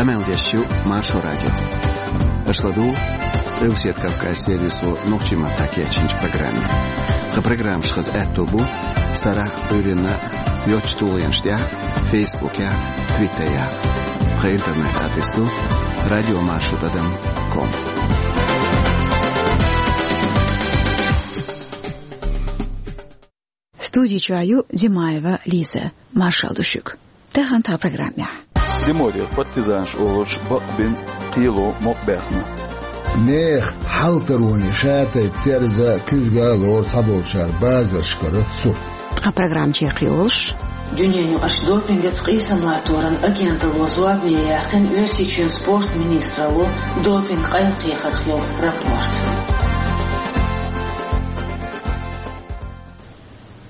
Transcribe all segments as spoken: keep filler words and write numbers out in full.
Къамел деш ю Маршо радио. Аша ладугӀу Къилбаседа Кавказ сервисо нохчийн маттахь кечйинчу программе. Тхан программаш хаза аьтто бу сарахь, Ӏуьйранна йоцчу тулгӀенаш тӀехь, Фейсбукехь, Твиттерехь. Тхан интернет-адрес ду радио маршо тӀадам ком. Студи чохь ю Димаева Лиза. Маршалла ду шуьга. Тахана тхан программехь. Приморье партизанаш олуш бакъбина кхело мукъабаьхна. Нехан хьалтароне шатайпа терза, куьзга а лору цхьаболчара базаршкара сурт. Тхан программа чекхйолуш. Дуьненаюкъарчу допингаца къийсам латторан агенталло зорбане яьккхина Оьрсийчоьнан спорт министралло допинг къайлакхехарх йолу рапорт.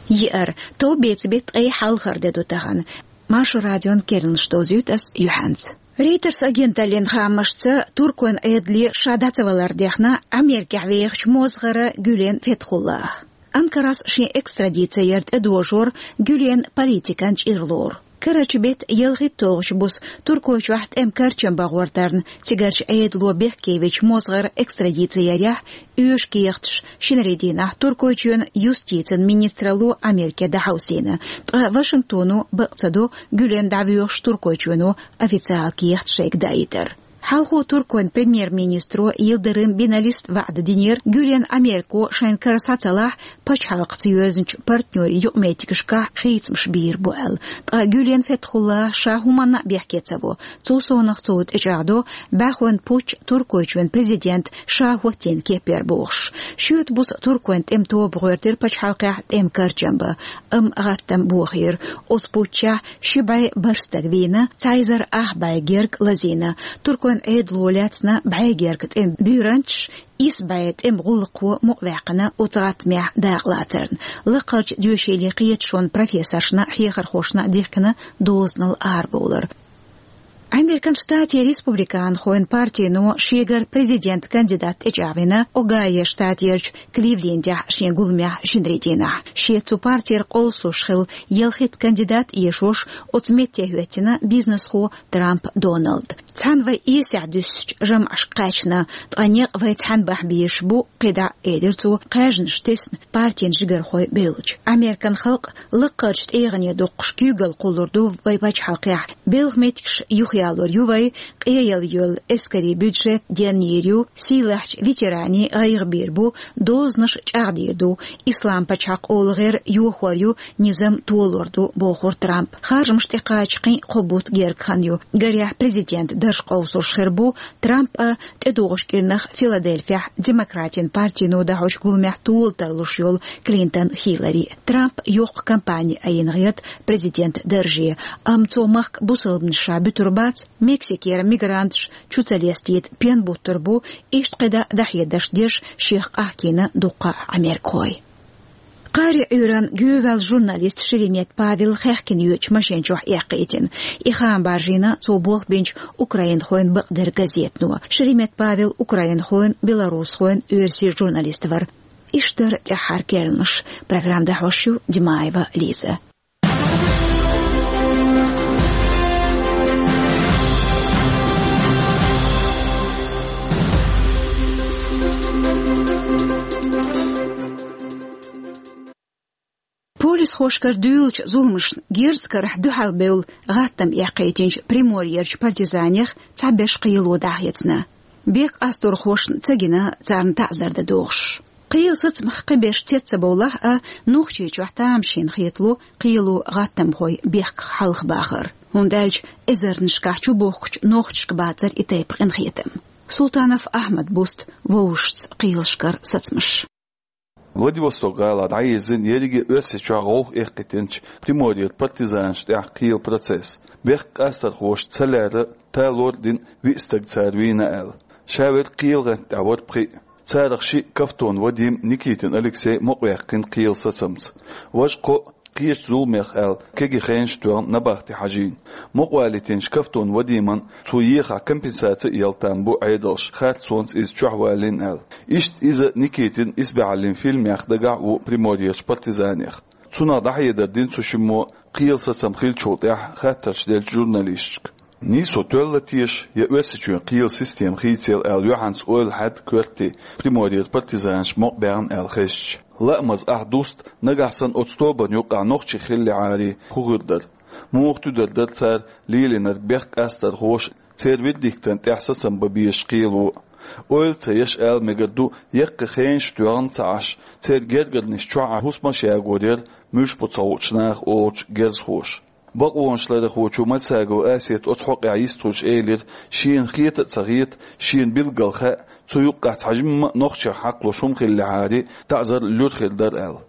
Еара, товбецан беттан ткъе хьалхара де ду тахана. Маршо радион керланаш довзуьйту ас юьхьанца. Рейтерс агенталлин хаамашца, туркойн Ӏедале ша дӀа ца валар дехна Америкехь вехачу мозгӀара Гюлен Фетхуллах. Анкарас шен экстрадици яр тӀедожор Гюлен политикан чӀир лору. Карарчу беттан ялхитталгӀачу буса Туркойчохь тӀеман карчам бахьор дарна, цигарчу Ӏедало бехкевечу мозгӀара экстрадици ярехь, оьшу кехаташ шинарин дийнахь Туркойчоьнан юстицин министралло Америке дӀахьовсийна, ткъа Вашингтоно бакъ ца до Гюлен дӀавоьхуш Туркойчоьно официалан кехат шайга даийтар. Хьалхо туркойн премьер-министро Йылдырым Биналис ваӀда динера, Гюлен Америко шайн кара схьа ца лахь, пачхьалкхаца йоьзначу партнерийн юкъаметтигашкахь хийцамаш бийр бу аьлла. Ткъа Гюлен Фетхуллах ша хӀуманна а бехке ца во. Цул совнаха цо тӀечӀагӀдо бӀаьхойн путч Туркойчоьнан президент ша хӀоттийна кепара бохуш. Шоьтан буса туркойн тӀеман тоба гӀоьртира пачхьалкхехь тӀеман карчам бан, амма гӀаттам бохийра. Оцу путчехь ши бӀе бархӀ стаг вийна, цхьа эзар ах бӀе герга лазийна. Туркойн Ӏедало лаьцна бӀе герга тӀеман буьйранчаш, исс бӀе тӀеман гӀуллакхо мукъаваьккхина оцу гӀаттамехь дакъалацарна. Лакхарчу доьшийлийн кхеташонан профессоршна а, хьехархошна а дихкина дозанал арабовлар. Американ Штатийн республиканхойн партино шегара президент кандидат тӀечӀагӀвина Огайо штатерчу Кливлендехь шен гуламехь шинарин дийнахь. Шеца цу партера къовсалуш хилла ялхитта кандидат эшош оцу метте хӀоьттина бизнесхо Трамп Доналд. Цхьаьна вай эсехь дуьсучу жамӀашка кхаьчна, ткъа некъ вай цхьаьна бахьа безаш бу, кхидӀа, элира цо, кхаьжнаш тесна партин жигархой бевлча. Американ халкъ лакхарчу тӀегӀане доккхуш куьйгалла кхуллур ду вай пачхьалкхехь. Белхан меттигаш юхаялор ю вай, къеяла йолу эскарийн бюджет денйийр ю, сийлахьчу ветеранийн гӀайгӀа бийр бу, дозанаш чӀагӀдийр ду, Ислам-пачхьалкх олу гӀер йохор ю, низам толор ду, бохура Трампа. Харжамаш тӀекхача кхин а кхо бутт герга хан ю. Гарехь, президент дарж къовсуш хир бу Трамп а, тӀедогӀучу кӀирнах Филадельфехь демократийн партино дӀахьочу гуламехь тола тарлуш йолу Клинтон Хиллари. Трамп йоккха кампани айина гӀерта президент дарже, амма цо махка бусалбанаш ша буьтур бац, Мексикера мигранташ чу ца лестийта пен буттур бу, иштта кхидӀа дӀахьедарш деш шех къахкийна дуккха а америкахой. Кхари Ӏуьйранна гӀевелла журналист Шеремет Павел хаьхкина йоьдучу машен чохь эккхийтина. И хаам баржийна цо болх бинчу украинхойн бакъдерг газетано. Шеремет Павел украинхойн, белорусхойн, оьрсийн журналист вара. Иштта дара тӀаьххьара керланаш. Программа дӀахьош ю Димаева Лиза. Полисхошкара дуьйлучу зуламашна герз карахь дуьхьалбевлла гӀаттам эккхийтинчу Приморьерчу партизанех цхьаберш кхело дӀахецна. Бехк къасторхошна ца гина царна таӀзар дан догӀуш. Кхелан сацамах кхиберш цец ца бовлахь а, Нохчийчохь тамашийна хетало кхело гӀаттамхой бехках хьалхабахар. ХӀунда аьлча эзарнашкахь чубохкучу нохчашка бацара и тайпа къинхетам. Султанов Ахьмад буста вовшашца кхелашкара сацамаш. Владивосток гӀалахь дӀайирзина ерриге Оьрсийчохь гӀовгӀа эккхийтинчу Приморьера партизанашна тӀехь кхелан процесс. Бехк къасторхоша ца лаьрра, талор а дина, виъ стаг цара вийна аьлла. Шаверг кхелан гӀанта тӀехь вара пхиъ. Царах шиъ, Кафтон Вадим, Никитин Алексей, мукъаваьккхина кхелан сацамца. Важа кхоъ кхечу зуламех аьлла кегий хенаш тоьхна набахте хьажийна. Мукъавалийтинчу Кафтон Вадиман цо ехахь компенсаци а яла там бу Ӏедалша, харцонца иза чохь валийна аьлла. Иштта иза Никитин исбаьхьаллин фильмех дагахь а ву Приморьерчу партизанех. Цунах дӀахьедар дина цу шиммо кхелан сацам хиллачул тӀаьхьа хаттарш деллачу журналисташка. Нийсо тоьлла теша я Оьрсийчоьнан кхелан система хийцаелла аьлла, юьхьанца ойла хьаьдда коьртте Приморьера партизанаша мукъабаьхна аьлла хезча. Лаамаза ахь дуста, нагахь санна оцу тобанна юкъахь нохчий хиллехьара, хӀун хир дара? Муха туьдар дара цара лелийнарг бехк къастархоша, церан вердиктана тӀехь сацам бан безаш кхело? Ойла ца еш ала мегар ду, яккхий хенаш тоьхна ца Ӏаш, церан гергарнаш чохь Ӏа хӀусамаш ягор яра, муьлш бу ца хуучу наха олучу герзахоша. Бакъонашларъярхочо Мальсагова Асета оцу хьокъехь йистхуьлуш элира, шена хета а ца хета, шена билггал хаьа, цу юккъехь цхьа жимма а нохчех хьакхалуш хӀума хиллехьара, таӀзар луьра хир дара аьлла.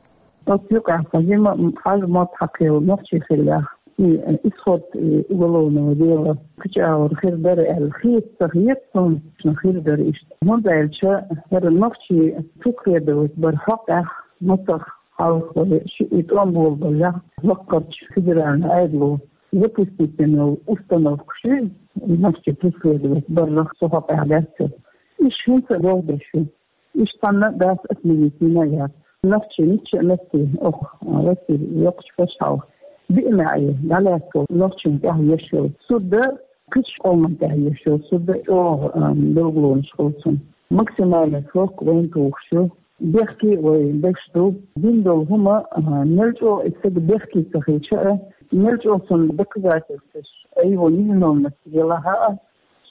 Оцу юкъехь цхьа жимма а хьажа мотт хьакхелла нохчий хиллехь, и, исход, и уголовного дела кхечу агӀор хир дара аьлла хета а ца хета суна, хир дара иштта. ХӀунда аьлча хӀара нохчий преследовать бар хьокъехь мацах хьалха шиъ и тӀом болабаллехь, лаккхарчу федеральни Ӏедало запустить йина йолу установка шу, нохчий преследовать барах цу хьокъехь даьттара. Иштта хӀинца а боху дерш ю. Иштта цхьанна а дац, отменить йина а яц. Нохчий мичча а метте, оха, а, Россин йоккхачу пачхьалкхе, биъ маьӀе дӀалаьцна нохчийн тӀехь еш йолу суд а, кхечу къоман тӀехь еш йолу суд а чӀогӀа, а, билгалонаш хуьлу цунна. Максимальный срок вайна тухуш ю. Бехке а вай деш ду. Дина долу хӀума, а, мел чӀогӀа и стаг бехке ца хилча а, мел чӀогӀа цунна доказательстваш, а его невиновность елахь а,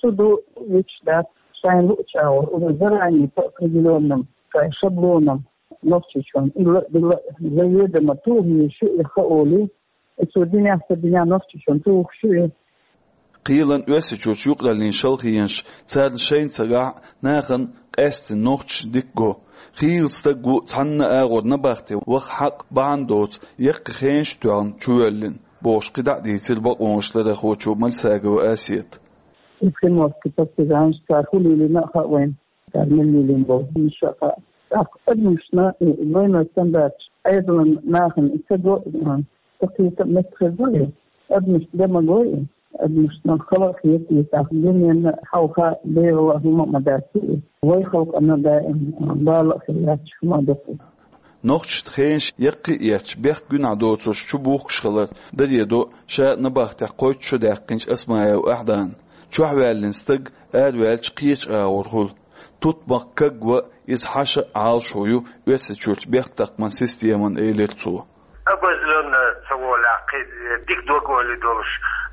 судо вуьтуш дац, шайна луъучу агӀор, уже заранее по определённым шайн шаблонам, Нохчийчоьнна илла а, билла а, заведомо тухуш ю и хаоли, и цо динехь, ца динехь Нохчийчоьнна тухуш ю и. Кхелан, Оьрсийчуьрчу юкъараллин шалхенаш, царна шайна ца гахь а, нахана къаьсттина нохчашна дика го. Хийла стаг ву, цхьанна а агӀор набахте ваха хьакъ, бахьана доцу, яккхий хенаш тоьхна чувоьллина, бохуш кхидӀа а дийцира бакъонашларъярхочо Мальсагова Асета. И приморский партизанаш, цара хӀун лелийна а хаьа вайна. Цара мел лелийна болу хӀуманаш а хаьа. ТӀаккха адамашна и двойной стандарташ, Ӏедалан нахана и ца го, а, ца кхета а меттахъе го и, адамашна дан ма го и, адамашна хала а хета и, тӀаккха дуьненна хьалха бегӀала а хӀума а ма дац и, вай халкъана даим, а, бала а хир лаьтташ хӀума а ду-кх и. Нохчашна хенаш яккхий а эцча, бехк гуьнахь доцурш чубухкуш хилар даре до ша набахтехь кхойтта шо даьккхинчу Асмаева Ахьдана. Чохь ваьллина стаг араваьлча кхечу агӀор хуьлу. Тутмакх кагван, иза хьаша а, Ӏалашо ю Оьрсийчуьрчу бехктакхаман системан, элира цо. Обозлённо ца волахь, кхин дика дог-ойла долуш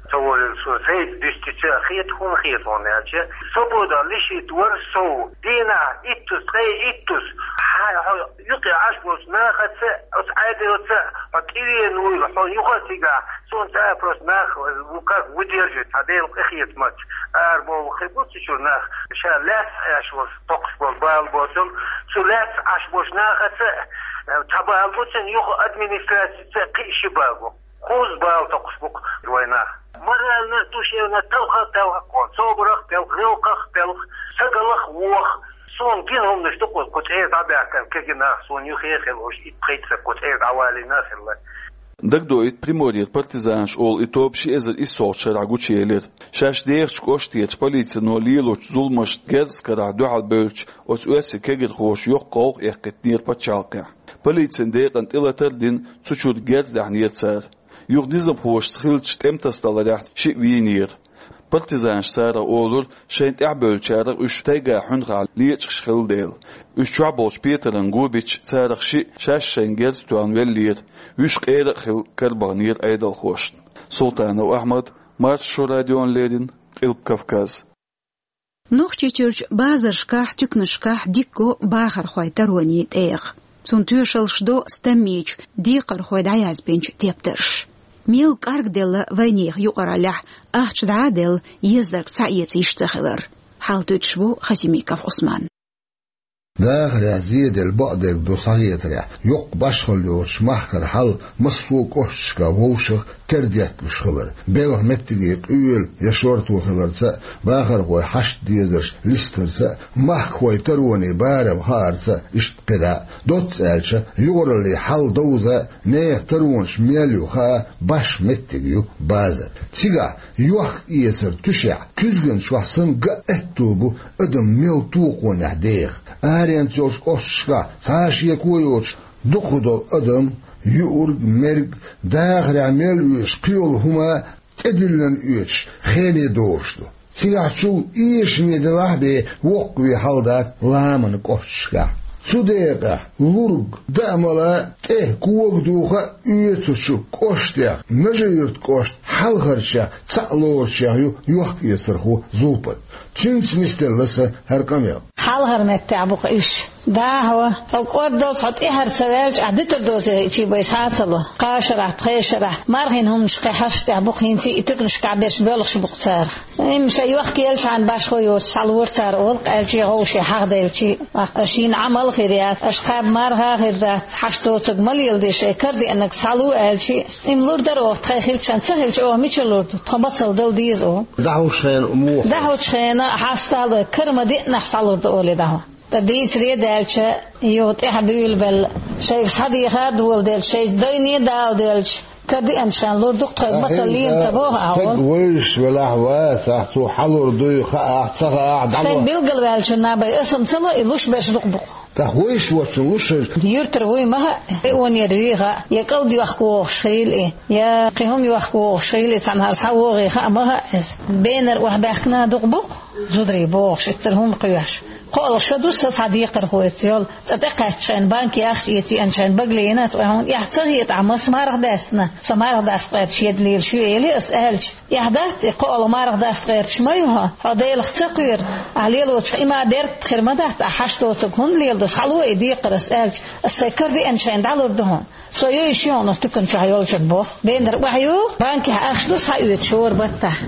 ца волийла, со сайца дуьстича а хета, хӀунда хета хьуна аьлча, свобода лишить вар сов, дийнахь иттаза, ткъе иттаза, хьан, хьо юкъе Ӏаш болчу нахаца, оцу Ӏедалца хьо тӀевеана вуйла, хьо юха а цигахь, суна цара просто нах ву как выдерживать, хьан Делан къинхетамаца. Ара бовла хир бу цу чуьра нах, ша лаьцна Ӏаш волуш токхуш болу бала боцург, цу лаьцна Ӏаш болчу нахаца, э, цхьа бала бу цуьнан, юха администрацица кхин а ши бала бу. Кхузза бала токхуш бу-кх вайн нах. Морально, душевно талха а талха-кх, собарах а пелха, гӀиллакхах а пелха, стагалах а воха. Суна гина хӀуманаш ду-кх, кху цӀера дӀабаьхкина кегий нах, суна юххе а хилла уьш, итт-пхийтта стаг кху цӀера дӀавалийна а хилла. Дагадоуьйту, Приморьера партизанаш олу и тоба ши эзар иссолгӀачу шарахь гучуелира. Шаьш дехачу кӀоштарчу полицино лелочу зуламашна герз карахь дуьхьал бевллачу оцу оьрсийн кегирхоша йоккха гӀовгӀа эккхийтинера пачхьалкхехь. Полицин декъана тӀелатар а дина, цу чуьра герз даьхьнера цара. Юха низамхошца хиллачу тӀематасадаларехь шиъ вийнера. Партизанаша царах олура, шайна тӀаьхьабевллачарах уьш тайга хьуьнхахь лечкъаш хилла дела. Уьш чохь болчу петаран го бича, царах шиъ шаьш шайна герз тоьхна веллера, вуьш къера а хилла карабахнера Ӏедалхошна. Султанов Ахьмад, Маршо радиона леррина, Къилба Кавказ. Нохчийчуьрчу базаршкахь, туьканашкахь дика го бахархойн таронийн тӀегӀа. Цунна тоьшаллаш до стаммийчу декхархойн дӀаязбинчу тептарша. Мел кӀаргделла вайнехан юкъараллехь, ахча дӀа а делла, езарг цхьаэца йиш ца хилар. Хьал туьтуш ву Хасимиков Ӏусман. Дахарехь зеделла бакъдерг ду схьахетарехь, йоккха башхалла йоцуш махкара хьал массо а кӀошташкахь вовшах тера детталуш хилар, белхан меттиге къоьлла я шорто хиларца а, бахархойн хьашт дезарш листарца а, махкахойн таронийн барам хаарца а, иштта кхидӀа а. Доцца аьлча, юкъараллин хьал довза а, нехан таронаш мел ю хаа башха меттиг ю базар. Цигахь йохк-эцар туьшехь, куьзган чохь санна ган аьтто бу адам мел токхонехь деха. Аренца йолчу кӀошташкахь цхьа а шеко йоцуш дукхахдолу адам, юург, мерг, дахарехь мел везаш кхийолу хӀума тӀедиллина оьцуш хене догӀуш ду. Цигахь чул эшаме делахь а бен воккхаве хьал дац ламанан кӀошташкахь. Цу декъехь лург даа-мала, тӀе кога духа а оьцучу кӀоштех, Нажи-Юьртан кӀоштан хьалхарчех цхьаъ лоруш ю йохк-эцархо Зулпат. Цуьнца нисделла сан хӀара къамел. Хьалхара меттехь бу-кх уьш. Дехьа, хьо кӀордалц хьо тӀаьхьара ца ваьлча, ахь дуьтур доций чийбай схьа а ца ло. Кхаа шарахь, пхеа шарахь, мархин хӀуманаш кхин хьаштех бу-кх, хӀинца и туьканашкахь берш боьлхуш бу-кх царах. Имма шайн йохк еллачхьана башхо йоцуш схьалора цара олу-кх, аьлча, гӀовший хьахдевлчий, аша шина Ӏамал а хир яц, аша кхаба марха а хир дац, хьашт доцург ма леладе, шайн кара деанарг схьало аьлча, имма лур дара оха, тхайн хилчхьана, ца хилча, оха мичара лур ду, тхо мацалла дала деза оха. ДӀахьочу хенахь муха? ДӀахьочу хенахь хьастал, кара ма деанехь схьалур ду олий дӀахьо. Ткъа дийцаре а даьлча, юха тӀаьхьа буьйлабелла, шайга схьадеха а доладелча, шайн дайне а дала доьлча, кара деанчхьана лур ду-кх, тхоьга мацалла лела ца боху ахьа. Стаг вевзаш велахь а, вацахь, цо хьалур дуй хаахь а, ца хаахь а, дӀало. Стаг билгалваьллачунна бен аса-м ца ло, и луш берш дукха бу-кх. ТӀаккха вевзаш воцчунна луш хир. Юьртара вуй ма хаьа, районера вуй хаьа, я кӀалд йохка вогӀуш хилла и, я кхин хӀума йохка вогӀуш хилла и, цхьанхьара схьавогӀий хаа ма хаьа иза. Бенара охьабаьхкина дукха бу-кх. Зударий бохуш, иттара хӀума кхоьхьуш. КхоалгӀа шо ду сан цхьа декхархочуьнца йолу, цӀа тӀекхаьччхьана, банке ахча эца еанчхьана, багале йина ас, вай хьуна эхь ца хетахь, маса марха даьстина, со марха дастагӀерчу еда лелаш ю, элира ас аьлча. Эхь дац и, кхоалгӀа марха дастагӀерчу ма ю хьо, хьо Делах ца кхоьру, ахь лелочохь и ма беркат хир ма дац, ахь хьашт доцург хӀунда леладо, схьало и декхар ас аьлча, ас сайн кара деанчхьана дӀалур ду хьуна. Со йовзуш ю хьуна оцу туькан чохь йолчунна боху. Бенара охьайогӀу, банкехь ахча ду схьаоьцуш хӀора баттахь.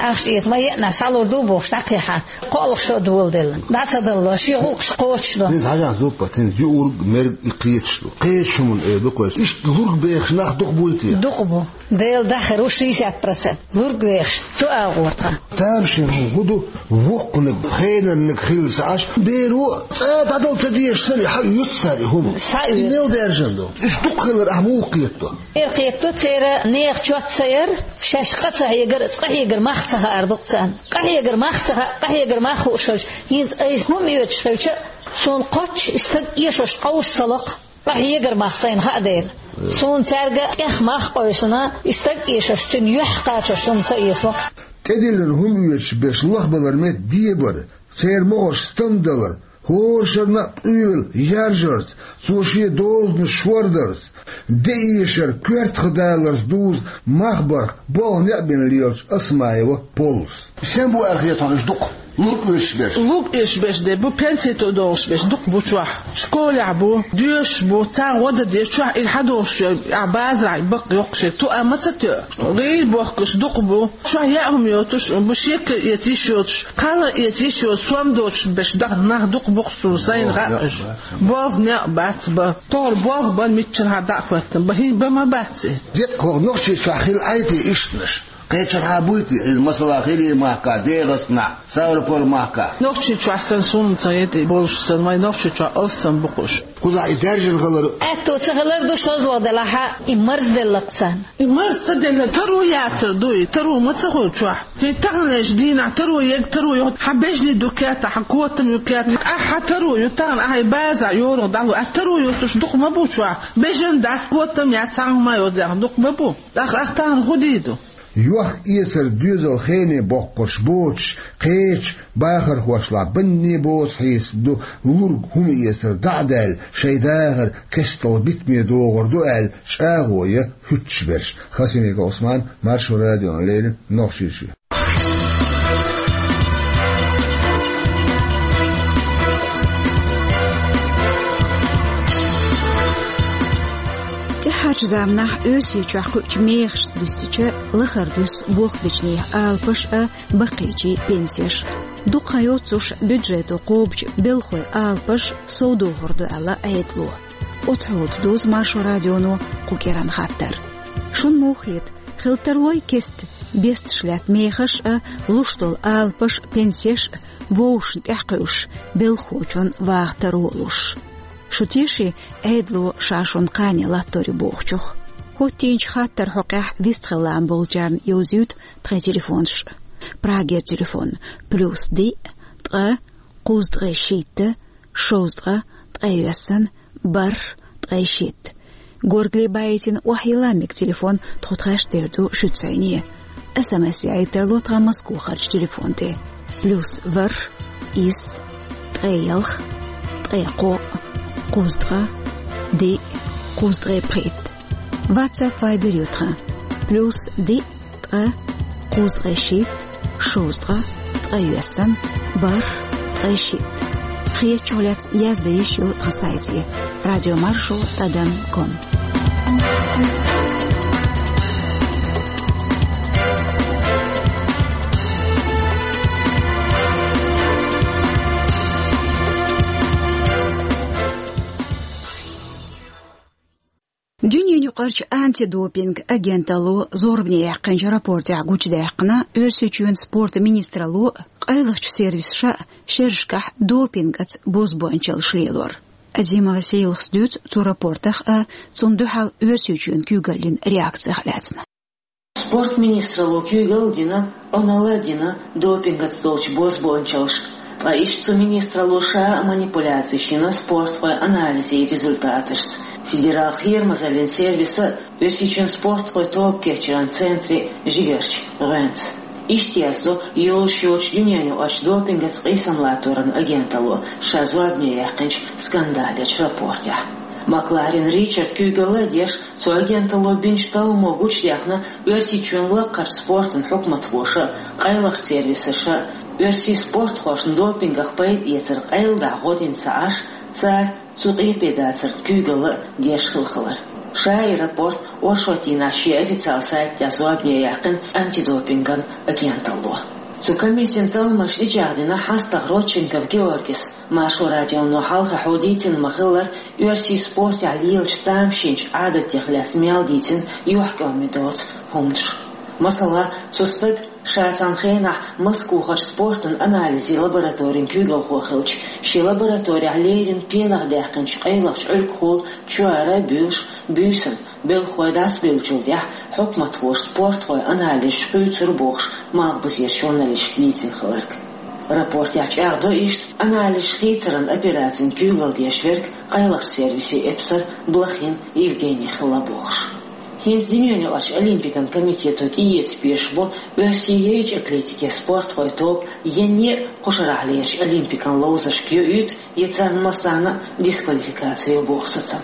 Ахча эца ма еанехь схьалур ду бохуш дӀакхехьа, кхоалгӀа шо а доладелла. ДӀа ца далло, шен гӀуллакхаш кхочушдо. ХӀинца хьажахь, Зулпат, хӀинца юург, мерг и кхеташ ду. Кхеташ хӀуманна эр ду-кх вай. Иштта лург бехаш нах дукха буй те? Дукха бу. Делан дахар ву шестьдесят процент. Лург вехаш, цу агӀор тхан. Тамашийна хӀума хӀун ду, воккханиг, хенарниг хилла ца Ӏаш, беро цӀа дӀадала ца дезаш санна, схьаоьцу цара и хӀума. Схьаоьцу. И мел даьржина ду? Уьш дукха хилар ахь муха кхетадо? Эр кхетадо церан нехан чот ца яр, шаьш къа ца хьегар, къахьегар мах ца хаар ду-кх царна. Къахьегар мах ца хаьа, къахьегар мах хууш хилча, хӀинца айса хӀума оьцуш хилча, суна кхоччуш и стаг эшош къовса ца ло-кх. Къахьегар мах сайна хаа дела. Суна цаьрга тӀех мах къовсина, и стаг эшош, цуьнан юьхь кхачош хӀума ца эцало. ТӀедиллина хӀума оьцуш берш лахбалар метта дебар, церан могӀарш стамдалар, хӀора шарна а къоьлла яржарца, цо шен дозанаш шордарца, де эшар коьртах даларца дузу мах барх болх некъ бина лелачу Осмаева Поллас. Сен бу аьлла хета хьуна уьш дукха? Лург оьцуш берш. Лург оьцуш берш де бу, пенсий тӀе догӀуш берш дукха бу чохь. Школехь бу, доьшуш бу, царна гӀо дан деза чохь, и хьадогӀуш, ахь базарахь бакъ йоккхуш, туа ма ца тоьу. ГӀийла бохкуш дукха бу, чохь яа хӀума йоцуш бу, шекар эца йиш йоцуш, кхаллар эца йиш йоцуш, сом доцуш берш даха нах дукха бу-кх суна сайна хаьа уьш. Болх некъ бац бан. Тохара болх бан, миччанхьа дӀа а хӀоьттина бан, хӀинца бан ма бац и. Деккъа хӀокху Нохчийчохь хилла Ӏай те ишттанаш? Кхечанхьа буй те, иза масала, ХӀирийн махка, ДегӀастанахь, Ставрополь махка? Нохчийчохь санна, суна ца хета и болуш санна, вайн Нохчийчохь алссам бу-кх уьш. Кхузахь и даьржина хилар. Аьтто ца хилар ду, шозлагӀа делахь а, и марзделла-кх царна. И марз ца делла, таро яцар ду и, таро ма ца хуьлу чохь. ХӀинца таханлерчу дийнахь таро ерг таро ю, хьан бежнаш ду кертахь, хьан котам ю кертахь, ахь хьан таро ю, тахана ахь и база йорах дӀахьо, ахь таро юьртуш дукха ма бу чохь, бежан дац, котам яц, цхьа хӀума йоцу дукха ма бу. Ахь, ахь тахана хӀун дийр ду? Йохк-эцар доьзал хене боккхуш боцуш кхечу бахархошлахь банне боцу хьесап ду, лург хӀума эцар дӀа а даьлла, шайн дахар кестта битаме догӀур ду аьлла, чӀагӀо ян хӀуьттуш берш. Хасимиков Ӏусман, Маршо радиона леррина, Нохчийчоь. ТӀаьхьарчу заманахь Оьрсийчохь кхуьучу мехашца дуьстича, лахара дуьсу болх бечу нехан алапаш а, баккхийчийн пенсеш а. Дукха хан йоццуш бюджето кхобучу белхойн алапаш совдохур ду аьлла Ӏедало. Оцу хьолаца дузу Маршо радионо кху кӀиранан хаттар. Шуна муха хета, хила тарлой кеста бесташ лаьтта мехаш а, луш долу алапаш а, пенсеш а вовшашна тӀехь кхуьуш, белхахочун ваха таро а луш? Шу теший, Ӏедало ша шуна кхане латтор ю бохучух? ХӀоттийначу хаттаран хьокъехь вистхила лаам болчарна йовзуьйту тхайн телефонаш. Прагера телефон: плюс диъ, ткъа, кхузткъе шийтта, шовзткъа, ткъе виссана, бархӀ, ткъе шийтта. Горгали баийтина охьайилла мега телефон тхо тхаьш тера ду шуьца зӀене. СМС яйттар ло тхан Москвахарчу телефон тӀе: плюс ворхӀ, исс, ткъе ялх, ткъе кхоъ, кхузткъа, диъ, кхузткъе пхийтта. WhatsApp, Viber ю тхан: плюс диъ, ткъа, кхузткъе шийтта, шовзткъа, ткъайоьсна, бархӀ, ткъе шийтта. Хетачух лаьцна язде йиш ю тхан сайте: радиомаршо тӀадам ком. Дуьненаюкъарчу антидопинг агенталло зорбане яьккхинчу рапортехь гучудаьккхина, Оьрсийчоьнан спортан министралло къайлахчу сервисаша шерашкахь допингаца бозбуанчаллаш лелор. Азимова Сейлахас дуьйцу цу рапортах а, цунна дуьхьал Оьрсийчоьнан куьйгаллин реакцех а лаьцна. Спортан министралло куьйгалла дина, Ӏуналла а дина допингаца долчу бозбуанчаллашна, ткъа иштта цу министралло ша а манипуляцеш йина спортхойн анализийн результаташца. Федералан кхерамазаллин сервисан а, Оьрсийчоьнан спортхойн тоба кечъяран центран а жигарчу гӀоьнца. Иштта яздо йолуш йоцчу дуьненаюкъарчу допингаца къийсам латторан агенталло ша зорбане яьккхинчу скандалечу рапортехь. Макларен Ричард куьйгалла а деш, цу агенталло бинчу талламо гучудаьхна Оьрсийчоьнан лакхарчу спортан хьукматхоша а, къайлахчу сервисаша а оьрсийн спортхошна допингах пайда эцар къайладахьа гӀо дина ца Ӏаш, цара цу къепе дацарна куьйгалла а деш хилла хилар. Ша и рапорт оршотдийнахь шен официалан сайта тӀехь зорбане яьккхина антидопинган агенталло. Цу комиссин талламашна тӀечӀагӀдина хьастагӀа Родченков Георгис. Маршо радионо хьалхархьо дийцина ма-хиллара, оьрсийн спортехь лелачу тамашийначу Ӏадатех лаьцна мел дийцина юьхькӀоме доцу хӀуманаш. Масала, цу стага ша цхьана хенахь Москвахарчу спортан анализийн лабораторин куьйгалхо хилча, шен лабораторехь леррина пенах даьккхинчу къайлахчу Ӏуьргахула чоьра а буьйлуш, буьйсанна белхалой дӀасабевллачул тӀаьхьа хьукматхоша спортхойн анализаш кхуьйцура бохуш, малхбузерчу журналисташка дийцина хилларг. Рапортехь чӀагӀдо иштта, анализаш хийцаран операцина куьйгалла деш верг къайлахчу сервисан эпсар Блохин Евгений хилла бохуш. ХӀинца дуьненаюкъарчу Олимпикан комитето тӀеэца безаш бу оьрсийн яйчу атлетикин спортхойн тоба, я не а кху шарахь лерачу Олимпикан ловзаршка йоуьйту, я царна массарна а дисквалификаци йо боху сацам.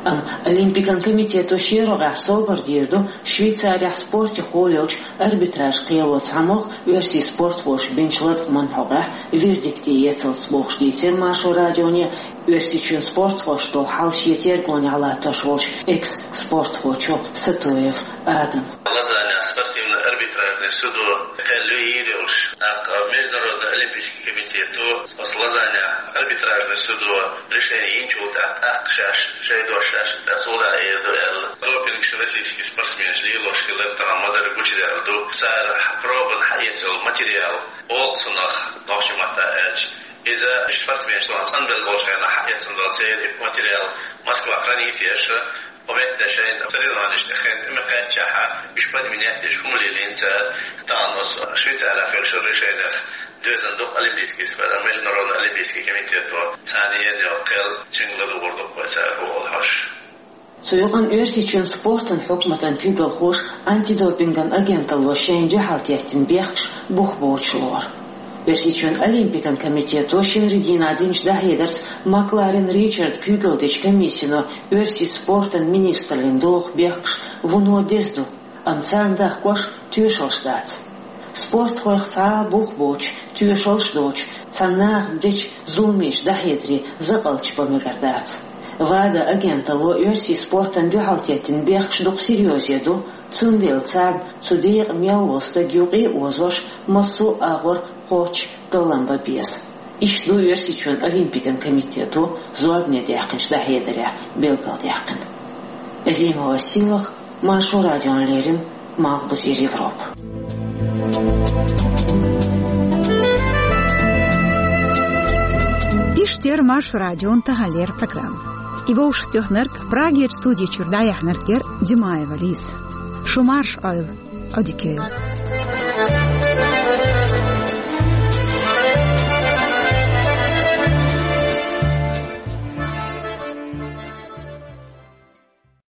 Амма Олимпикан комитето шен рогӀехь совгӀат дийр ду Швейцарехь спортехула йолчу арбитражан кхело цхьамогӀа оьрсийн спортхоша бинчу латкъаман хьокъехь вердикте эцалц бохуш, дийцира Маршо радионе Оьрсийчоьнан спортхошна долу хьал шен тергонехь латтош волчу экс-спортхочо Сатоев Адама. Лозаннехь спортивный арбитражный судо кхел луьйр йолуш, тӀаккха Международный олимпийский комитето оцу Лозаннехь арбитражный судо решение йинчул тӀаьхьа тӀаккха шаьш шайн дош шаьш тӀе цо дӀа эр ду аьлла, допингаш российский спортсменаш лелош хилар тахана ма-дарра гучудаьлла ду. Цара пробана хьаэца йолу материал, олу цунах нохчийн маттахь аьлча, иза спортсменаш тахана цӀанбелла болчу хенахь хьаэцна долу церан материал Москва хранить еш, кху метта шайн соревнованешна тӀе хен тӀе ма кхаьччахьа, уьш подменять деш хӀума лелийна цара. Тахана оцу Швейцарехь хуьлуш решенех доьзна ду-кх Олимпийский спорт, Международный олимпийский комитето, царна еана йолу кхел цуьнга ладугӀур ду-кх вай цара бохуш. Цу юкъана Оьрсийчоьнан спортан хьукматан куьйгалхоша антидопинган агенталло шайна дуьхьал теттина бехкаш бух боцуш лору. Оьрсийчоьнан Олимпикан комитето шинарин дийнахь динчу дӀахьедарца Макларен Ричарда куьйгалла дечу комиссино оьрсийн спортан министраллина доху бехкаш вуно деза ду, амма царна дахкош тоьшаллаш дац. Спортхойх цхьа а бух боцуш, тоьшаллаш доцуш, цхьана наха дечу зуламечу дӀахьедаре закъалташ бан мегар дац. ВАДА агенталло оьрсийн спортана дуьхьал теттина бехкаш дукха серьёзе ду, цундела царна цу декъа мел волу стаг юкъе а озош, массо а агӀор кхоччуш таллам бан беза. Иштта ду Оьрсийчоьнан Олимпикан комитето зорбане даьккхинчу дӀахьедарехь билгалдаьккхина. Азимова Сийлаха, Маршо радиона леррина, Малхбузера Европа. Иштта яра Маршо радион таханлера программа. И вовшахтоьхнарг, Прагерчу студи чуьра дӀаяьхьнарг яра Димаева Лиза. Шу марша Ӏойла, Ӏодика йойла.